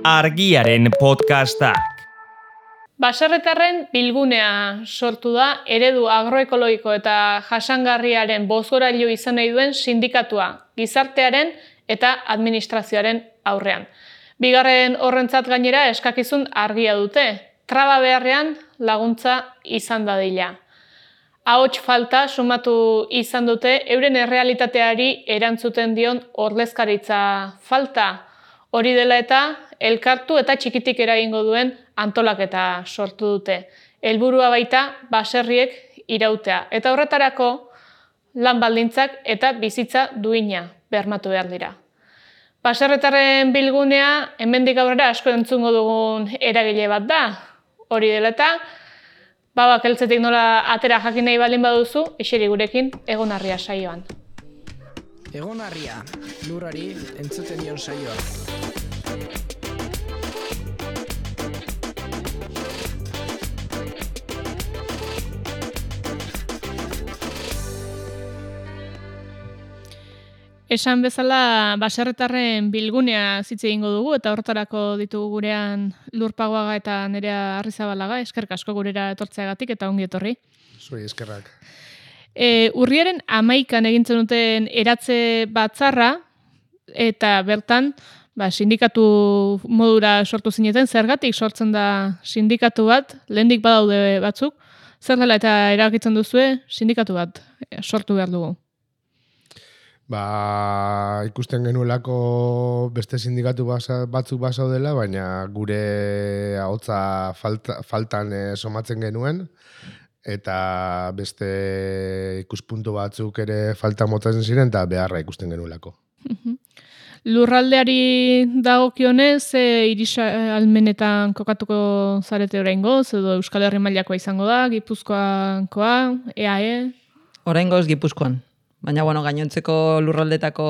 Argiaren podcastak. Baserritarren bilgunea sortu da eredu agroekologiko eta jasangarriaren bozgorailu izan nahi duen sindikatua, gizartearen eta administrazioaren aurrean. Bigarren horrentzat gainera eskakizun argia dute, traba beharrean laguntza izan dadila. Ahots falta sumatu izan dute euren errealitateari erantzuten dion ordezkaritza falta. Hori dela eta elkartu eta txikitik eragingo duen antolaketa sortu dute. Helburua baita baserriek irautea. Eta horretarako lan baldintzak eta bizitza duina bermatu behar dira. Baserritarren bilgunea hemendik aurrera asko entzungo dugun eragile bat da. Hori dela eta babak heltzetik nola atera jakin nahi baldin baduzu, eseri gurekin Egonarria saioan. Egonarria, lurrari entzuten dion saioa. Esan bezala baserritarren bilgunea hitz egingo dugu eta horretarako ditugu gurean Lurpagoaga eta Nerea Arrizabalaga, eskerrik asko gurera etortzeagatik eta ongi etorri. Zuei eskerrak. Urriaren 11an egintzen duten eratze batzarra eta bertan sindikatu modura sortu zineten, zergatik sortzen da sindikatu bat, lehendik badaude batzuk, zer dela eta erabakitzen duzue sindikatu bat sortu behar dugu? Ikusten genuelako beste sindikatu batzuk basaudela, baina gure ahotsa faltan somatzen genuen, eta beste ikuspuntu batzuk ere falta motatzen ziren, eta beharra ikusten genuelako. Lurraldeari dagokionez, irisalmenetan kokatuko zarete oraingoz, edo Euskal Herri mailakoa izango da, Gipuzkoakoa, EAE? Oraingoz Gipuzkoan. Baina, gainontzeko lurraldetako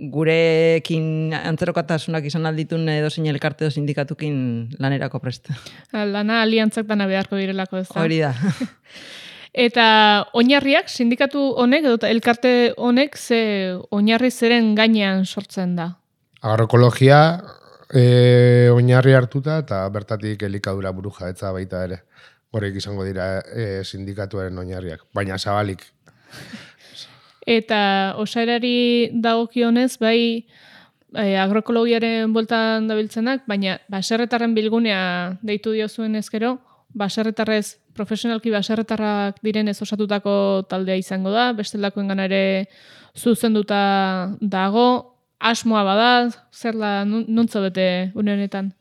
gurekin antzerokatasunak izan alditun edozein elkarte edo sindikatukin lanerako prest. Lana aliantzak dana beharko direlako ez da. Hori da. Eta oinarriak, sindikatu honek edo elkarte honek ze oinarri zeren gainean sortzen da? Agroekologia oinarri hartuta eta bertatik elikadura burujabetza baita ere. Horrek izango dira sindikatuaren oinarriak, baina zabalik. Eta osaerari dagokionez, agroekologiaren bueltan dabiltzenak, baina baserritarren bilgunea deitu diozuen ezkero, baserritarrez, profesionalki baserritarrak direnez osatutako taldea izango da, bestelakoengan ere zuzenduta dago, asmoa bada, zer da, nuntzo bete une honetan?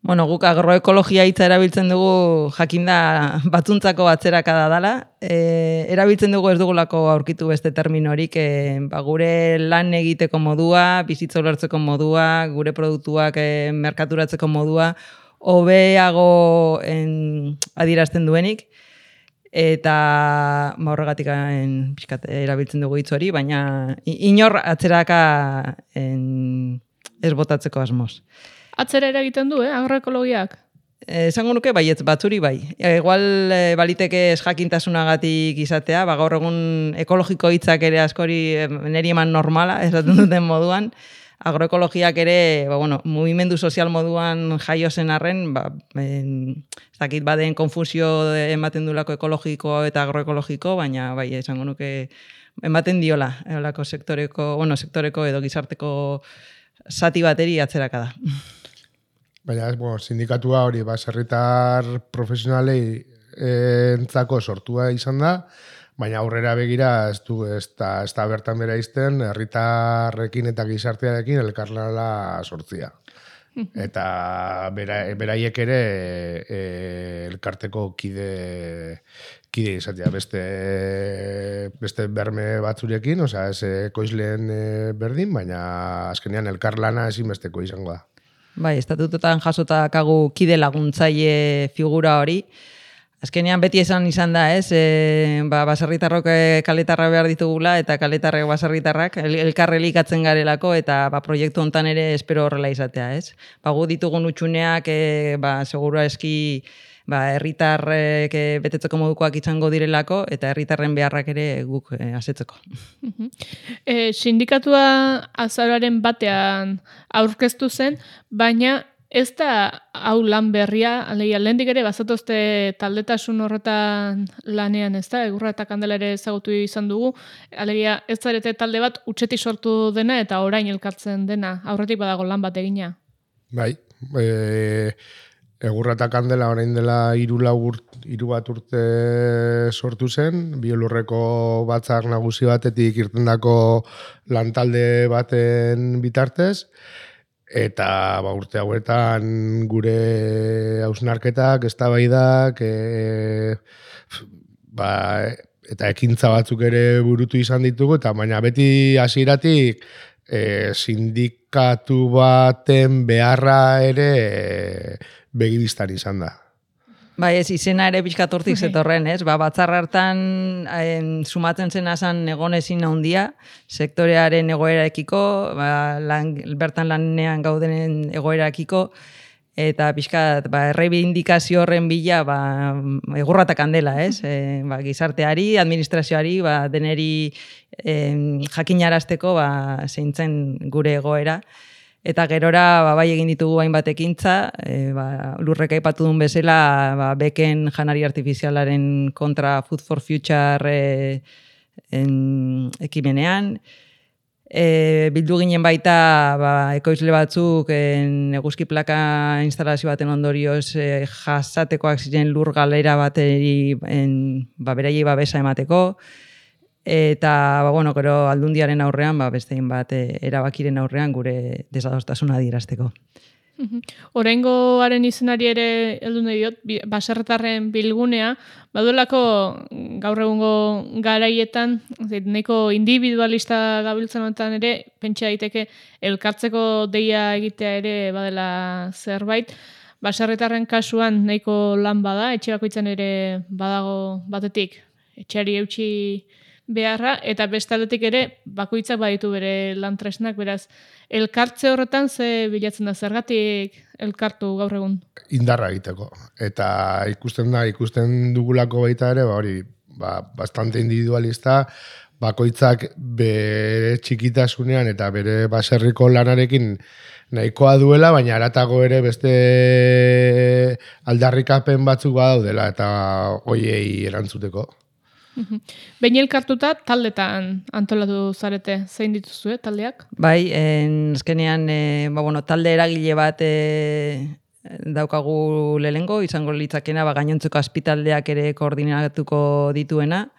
Guk agroekologia hitza erabiltzen dugu jakinda batzuntzako atzerakada dela. Erabiltzen dugu ez dugulako aurkitu beste terminorik, gure lan egiteko modua, bizitza ulertzeko modua, gure produktuak merkaturatzeko modua, hobeago adierazten duenik, eta horregatik erabiltzen dugu hitz hori, baina inor atzeraka ez botatzeko asmoz. Atzera eragiten du, agroekologiak? Esango nuke baietz batzuri bai. Igual baliteke ez jakintasunagatik izatea, gaur egun ekologiko hitzak ere askori neri eman normala, esaten duten moduan. Agroekologiak ere, mugimendu sozial moduan jaio zen arren, ez dakit baden konfusio ematen duelako ekologiko eta agroekologiko, baina bai, esango nuke ematen diola, sektoreko edo gizarteko zati bateri atzeraka da. Baina, sindikatua hori baserritar profesionalei entzako sortua izan da, baina aurrera begira ez da bertan bera izten, herritarrekin eta gizartearekin elkarlana sortzia. Eta beraiek ere elkarteko kide izatea beste berme batzurekin, ez ekoizleen berdin, baina azkenean elkarlana ezinbesteko izango da. Bai, estatutotan jasotakagu kide laguntzaile figura hori. Azkenean beti izan da, baserritarrok kaletarra behar ditugula eta kaletarrek baserritarrak elkarrelikatzen garelako eta proiektu hontan ere espero horrela izatea, ez? Gu ditugun utxuneak seguru eski herritarrek betetzeko modukoak izango direlako eta herritarren beharrak ere guk asetzeko. Sindikatua azaroaren batean aurkeztu zen, baina ez da hau lan berria, alegia lehendik ere bazatozte taldetasun horretan lanean, ez da, Egurra eta Kandela ere ezagutu izan dugu, alegia ez zarete talde bat utxetik sortu dena eta orain elkartzen dena, aurretik badago lan bat egina. Bai, Egurra eta Kandela orain dela 3 bat urte sortu zen, Biolurreko batzar nagusi batetik irtendako lantalde baten bitartez, eta urte hauetan gure hausnarketak, eztabaidak, eta ekintza batzuk ere burutu izan ditugu, eta baina beti hasieratik sindikatu baten beharra ere begibistan izan da. Bai, ez izena ere pixkat hortik zetorren, ez? Batzar hartan sumatzen zena zan egon ezin handia, sektorearen egoeraekiko, bertan lanean gaudenen egoeraekiko, eta pixkat erreibindikazio horren bila Egurra eta Kandela, ez? Gizarteari, administrazioari, deneri jakinarazteko zeintzen gure egoera. Eta gerora bai egin ditugu hainbat ekintza, Lurrek aipatu duen bezala beken janari artifizialaren kontra Food for Future ekimenean. Bildu ginen baita ekoizle batzuk eguzki plaka instalazio baten ondorioz jasatekoak ziren lur galera bateri beraiei babesa emateko. Eta, gero aldundiaren aurrean, bestein bat erabakiren aurrean gure desadostasuna adierazteko. Oraingoaren izenari ere heldu nahi diot, baserritarren bilgunea, baduelako gaur egungo garaietan, nahiko individualista gabiltzen honetan ere, pentsa daiteke elkartzeko deia egitea ere badela zerbait, baserritarren kasuan nahiko lan bada, etxe bakoitzan ere badago batetik, etxeari eutxi beharra, eta bestaldetik ere bakoitzak baditu bere lan tresnak, beraz, elkartze horretan ze bilatzen da, zergatik elkartu gaur egun? Indarra egiteko. Eta ikusten dugulako baita ere, hori, bastante individualista, bakoitzak bere txikitasunean eta bere baserriko lanarekin nahikoa duela, baina haratago ere beste aldarrikapen batzuk badaudela eta hoiei erantzuteko. Behin elkartuta taldetan antolatu zarete, zein dituzue taldeak? Bai, azkenean talde eragile bat daukagu lehengo, izango litzakena gainontzeko azpitaldeak ere koordinatuko dituena.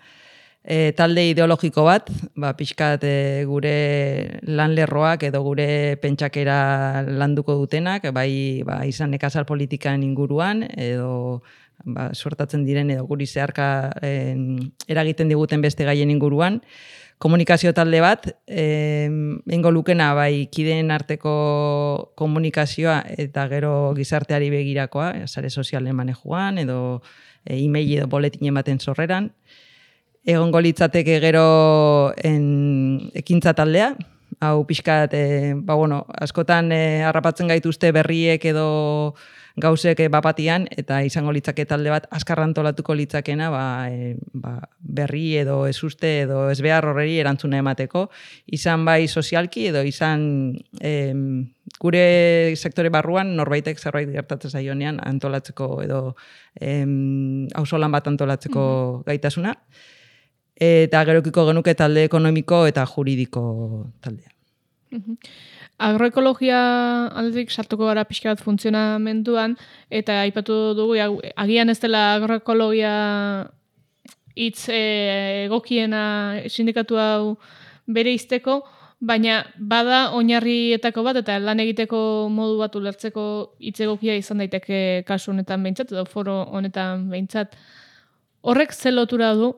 Talde ideologiko bat, pixkat gure lanlerroak edo gure pentsakera landuko dutenak, bai izan nekazal politikan inguruan, edo suertatzen diren edo guri zeharka eragiten diguten beste gaien inguruan. Komunikazio talde bat, eingo lukena kideen arteko komunikazioa eta gero gizarteari begirakoa, sare sozialen manejuan edo e-mail edo boletinen baten sorreran. Egongo litzateke gero ekintza taldea, hau pixkat, askotan harrapatzen gaituzte berriek edo gauzek bapatian, eta izango litzake talde bat azkar antolatuko litzakena berri edo ezuste edo ezbehar horreri erantzuna emateko, izan bai sozialki edo izan gure sektore barruan norbaitek zerbait gertatzen zaionean antolatzeko edo auzolan bat antolatzeko gaitasuna. Eta gerokiko genuke talde ekonomiko eta juridiko taldea. Agroekologia aldetik sartuko gara pixka bat funtzionamenduan, eta aipatu dugu, agian ez dela agroekologia hitz egokiena sindikatu hau bere izteko, baina bada oinarrietako bat eta lan egiteko modu bat ulertzeko hitz egokia izan daiteke kasu honetan behintzat, edo foro honetan behintzat. Horrek ze lotura du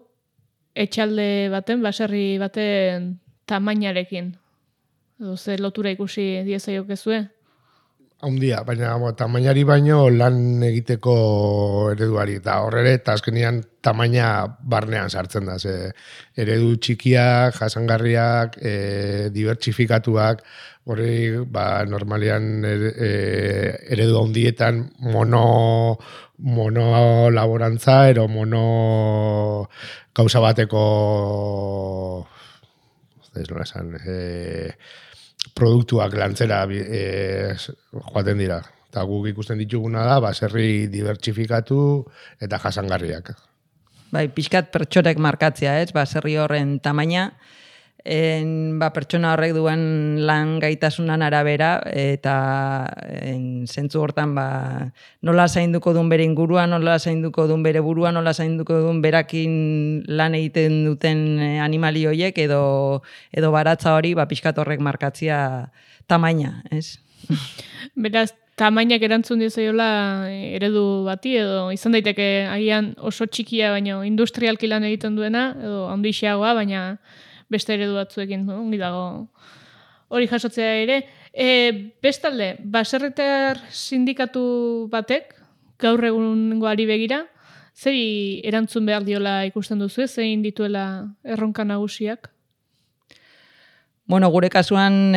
etxalde baten, baserri baten tamainarekin? Edo ze lotura ikusi diezaiokezue? Haundia, baina tamainari baino lan egiteko ereduari, eta horre eta azkenian tamaina barnean sartzen da, ze eredu txikiak, jasangarriak, dibertsifikatuak, hori normalian eredu handietan mono laborantza, ero mono gauza bateko ez nola esan, produktuak lantzera joaten dira. Eta guk ikusten dituguna da, baserri dibertsifikatu eta jasangarriak. Bai, pixkat pertsonek markatzea, ez? Baserri horren tamaina, pertsona horrek duen lan gaitasunan arabera, eta zentzu hortan nola zainduko duen bere ingurua, nola zainduko duen bere burua, nola zainduko duen berakin lan egiten duten animali horiek, edo baratza hori pixkat horrek markatzea tamaina, ez? Beraz, tamainak erantzun diozaiola eredu bati, edo izan daiteke agian oso txikia, baina industrialki lan egiten duena, edo handixeagoa, baina beste eredu batzuekin, ongi dago hori jasotzea ere. Bestalde, baserritar sindikatu batek, gaur egungoari begira, zeri erantzun behar diola ikusten duzu, zein dituela erronka nagusiak? Bueno, gure kasuan,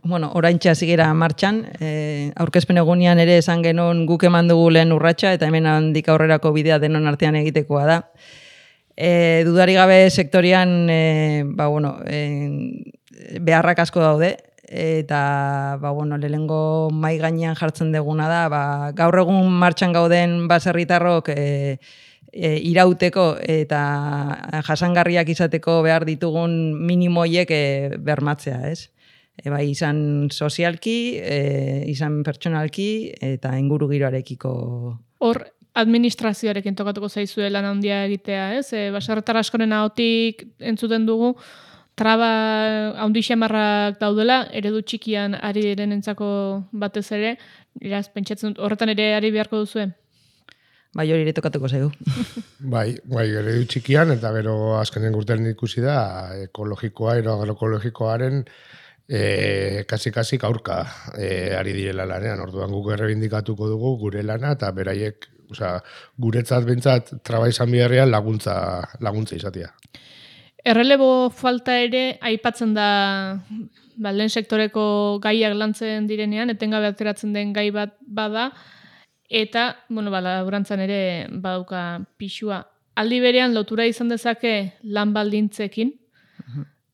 oraintxe hasi gera martxan, aurkezpen egunean ere esan genuen guk eman dugu lehen urratsa, eta hemen handik aurrerako bidea denon artean egitekoa da. Dudari gabe sektorian beharrak asko daude, eta lehengo mai gainean jartzen deguna da, gaur egun martxan gauden baserritarrok irauteko eta jasangarriak izateko behar ditugun minimoiek bermatzea, ez? Bai, izan sozialki, izan pertsonalki eta inguru giroarekiko. Hor, administrazioarekin tokatuko zaizue lan handia egitea, ez? Baserritar askoren ahotik entzuten dugu, traba handi xamarrak daudela, eredu txikian ari direnentzako batez ere, iraz, pentsatzen dut, horretan ere ari beharko duzue? Bai, hori ere tokatuko zaigu. Bai, eredu txikian, eta gero azkenen urtean ikusi da, ekologikoa, agroekologikoaren kasi aurka ari direla lanean. Orduan guk errebindikatuko dugu gure lana, eta beraiek, guretzat bentsat traba izan biharrean laguntza izatea. Errelebo falta ere aipatzen da lehen sektoreko gaiak lantzen direnean, etengabe ateratzen den gai bat bada, eta, laburantzan ere badauka pixua. Aldi berean lotura izan dezake lan baldintzekin,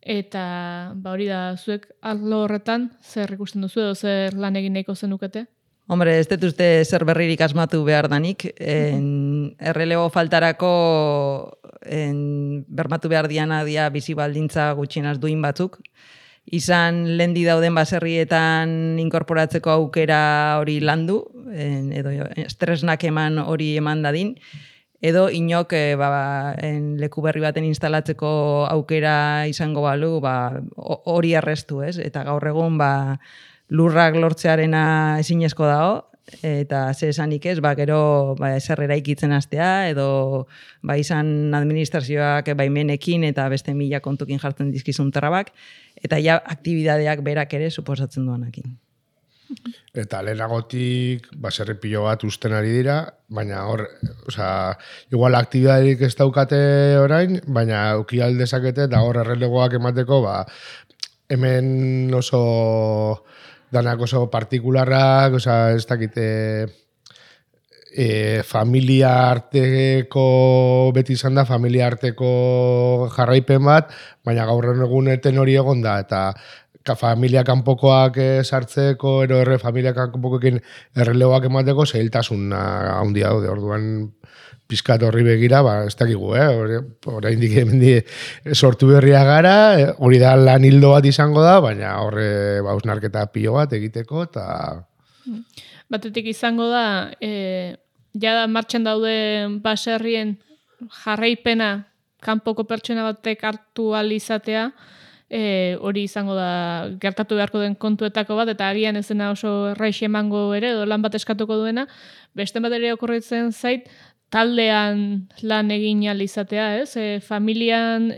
eta hori da, zuek arlo horretan zer ikusten duzu edo zer lan egin nahiko zenukete? Hombre, ez dut uste zer berririk asmatu behar danik. Errelebo faltarako bermatu behar diana bizi baldintza gutxienaz duin batzuk. Izan lendi dauden baserrietan inkorporatzeko aukera hori landu, edo estresnak eman hori eman dadin, edo inok leku berri baten instalatzeko aukera izango balu, hori errestu, ez? Eta gaur egun lurrak lortzearena ezinezko dago, eta ze esanik ez, gero ezer eraikitzen hastea, edo izan administrazioak baimenekin eta beste mila kontukin jartzen dizkizun trabak, eta ja aktibidadeak berak ere suposatzen duanakin. Eta lehenagotik baserri pilo bat usten ari dira, baina hor, igual aktibidaderik ez daukate orain, baina auki aldezakete, eta hor errelegoak emateko, hemen oso danak oso partikularrak, ez dakite familia arteko beti izan da, familia arteko jarraipen bat, baina gaur egun eten hori egon da, eta familia kanpokoak sartzeko, ero familia kanpokoekin errelegoak emateko, zailtasun handia daude, orduan pizkat horri begira, ez dakigu, oraindik sortu berria gara, hori da lan hildo bat izango da, baina horre hausnarketa pilo bat egiteko, eta... Batetik izango da, jada martxan daude baserrien jarraipena kanpoko pertsona batek hartu ahal izatea, hori izango da gertatu beharko den kontuetako bat, eta agian ez dena oso erraiz emango ere, edo lan bat eskatuko duena, beste bat ere okorritzen zait, taldean lan egin ahal izatea, ez? Familian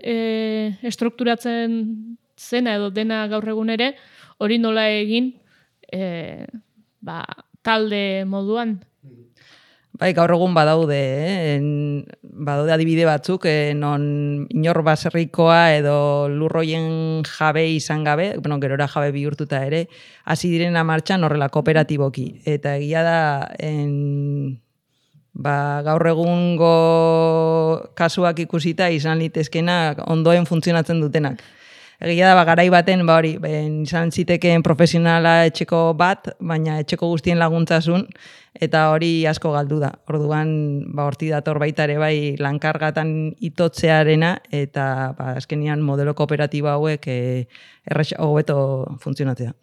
estrukturatzen zena edo dena gaur egun ere, hori nola egin talde moduan. Bai, gaur egun badaude adibide batzuk, non inor baserrikoa edo lurroien jabe izan gabe, gerora jabe bihurtuta ere, hasi direna martxan horrela kooperatiboki. Eta egia da, gaur egungo kasuak ikusita izan litezkena ondoen funtzionatzen dutenak. Egia da, garai baten, izan zitekeen profesionala etxeko bat, baina etxeko guztien laguntzasun, eta hori asko galdu da. Orduan, horti dator baita ere bai lankargatan itotzearena, eta azkenian modelo kooperatiba hauek hobeto funtzionatzea.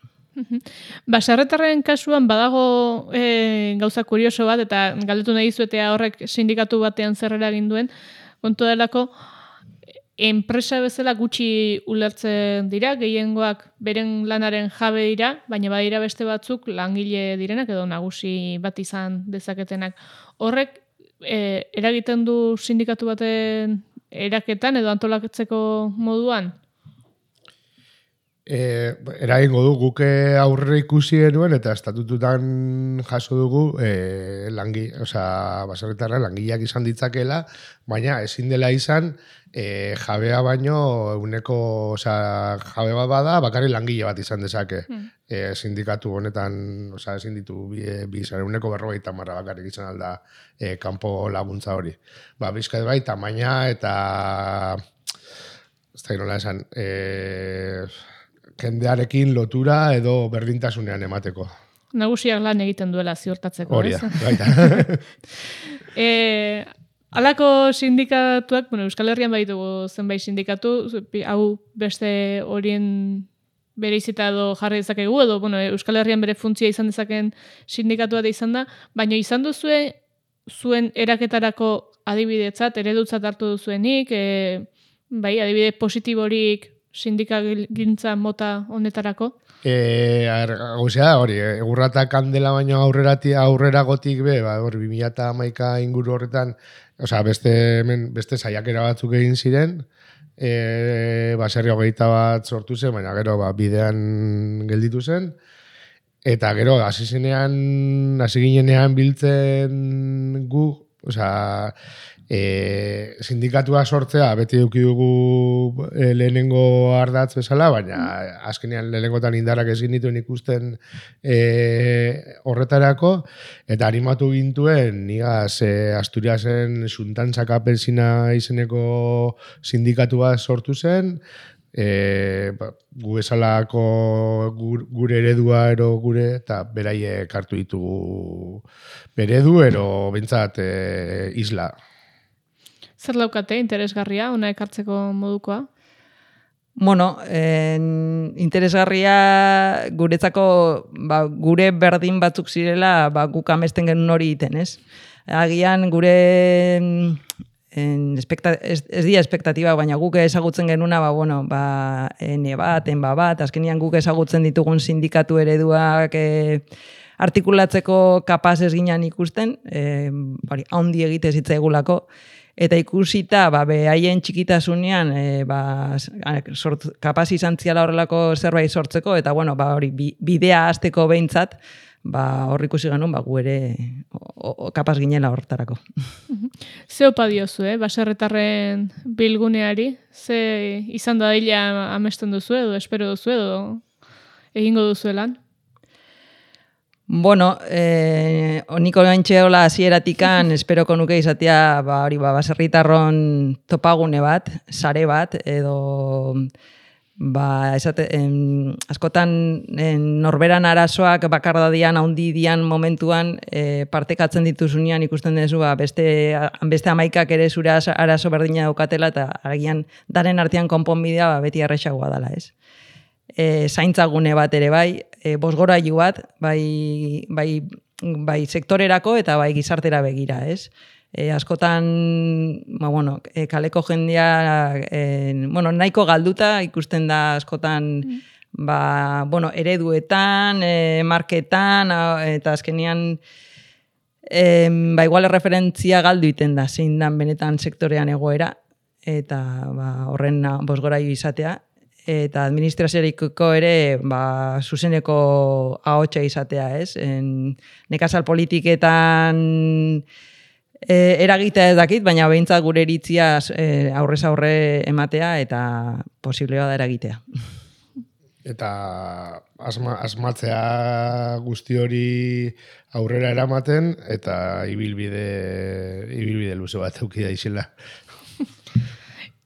Baserritarren kasuan badago gauza kurioso bat, eta galdetu nahi zuetea horrek sindikatu batean zer eragin duen, kontu delako, enpresa bezala gutxi ulertzen dira, gehiengoak beren lanaren jabe dira, baina badira beste batzuk langile direnak edo nagusi bat izan dezaketenak. Horrek eragiten du sindikatu baten eraketan edo antolatzeko moduan? Eragingo du, guk aurre ikusi genuen eta estatututan jaso dugu baserritarren langileak izan ditzakela, baina ezin dela izan jabea baino jabe bat bada bakarrik langile bat izan dezake. Sindikatu honetan, ezin ditu bizan, 40% bakarrik izan alda kanpo laguntza hori. Bizkat bai, tamaina eta ez da nola esan, jendearekin lotura edo berdintasunean emateko. Nagusiak lan egiten duela ziurtatzeko. Hori da, baita. Halako sindikatuak, Euskal Herrian baitugu zenbait sindikatu, hau beste horien bere izita edo jarri dezakegu, edo Euskal Herrian bere funtzioa izan dezaken sindikatu bat izan da, baina izan duzue zuen eraketarako adibidetzat, eredutzat hartu duzuenik, adibide positiborik sindikagintza mota honetarako? Gauzea, hori, egurrata kandela baino aurreragotik be, 2011 inguru horretan, beste saiakera batzuk egin ziren, baserri 21 sortu zen, baina gero bidean gelditu zen, eta gero hasi ginenean biltzen gu, sindikatua sortzea beti eduki dugu lehenengo ardatz bezala, baina azkenean lehenengotan indarrak ezin dituen ikusten horretarako, eta animatu gintuen nigaz Asturiasen Xuntantzak Apelsina izeneko sindikatua sortu zen, gu bezalako gure eredua ero gure, eta beraiek hartu ditugu beredu ero bintzat isla. Zer daukate interesgarria, ona ekartzeko modukoa? Interesgarria guretzako gure berdin batzuk zirela guk amesten genuen hori iten, ez? Agian gure ez dira espektatiba, baina guk ezagutzen genuna enba bat, azkenian guk ezagutzen ditugun sindikatu ereduak artikulatzeko kapaz ez ginen ikusten, haundi egite zitzaigulako, eta ikusita, haien txikitasunean kapaz izan ziala horrelako zerbait sortzeko, eta bidea hasteko behintzat, hor ikusi genuen, gu ere kapaz ginela horretarako. Ze opa diozu, baserritarren bilguneari? Ze izan da dila amesten duzu edo, espero duzu edo, egingo duzu lan? Niko gaintxeola hasieratik esperoko nuke izatea baserritarron topagune bat, sare bat, edo askotan norberan arazoak bakardadian, haundi dian momentuan partekatzen dituzunean ikusten dezu beste 11 ere zure arazo berdina daukatela eta agian daren artean konponbidea beti erresagoa dela, ez? Zaintzagune bat ere bai, bosgorailu bat, bai sektorerako eta bai gizartera begira, ez? Askotan, kaleko jendea, nahiko galduta ikusten da askotan, ereduetan, marketan, eta azkenean, igual referentzia galdu iten da, zein dan benetan sektorean egoera, eta horren bosgorailu izatea. eta administrazioariko ere zuzeneko ahotsa izatea, ez? Nekazal politiketan eragitea ez dakit, baina behintzat gure iritzia aurrez aurre ematea eta posiblea da eragitea. Eta asmatzea guzti hori aurrera eramaten eta ibilbide luze bat eduki da izela.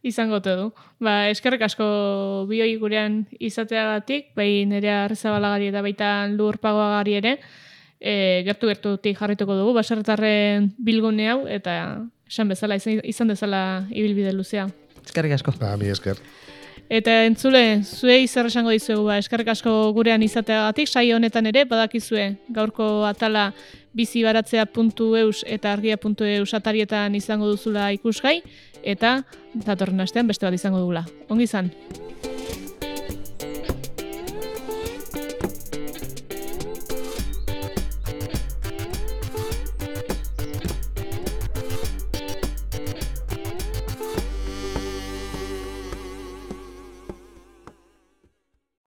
Izango te du. Eskerrik asko bioi gurean izateagatik, bai Nerea Arrizabalagari eta baita Lur Pagoagari ere, gertu-gertutik jarrituko dugu, baserritarren bilgune hau, eta esan bezala, izan dezala ibilbide luzea. Eskerrik asko. Mi esker. Eta entzule, zuei zer esango dizuegu, eskerrik asko gurean izateagatik, saio honetan ere, badakizue, gaurko atala bizibaratzea.eus eta argia.eus atarietan izango duzula ikusgai, eta datorren astean beste bat izango dugula. Ongi izan!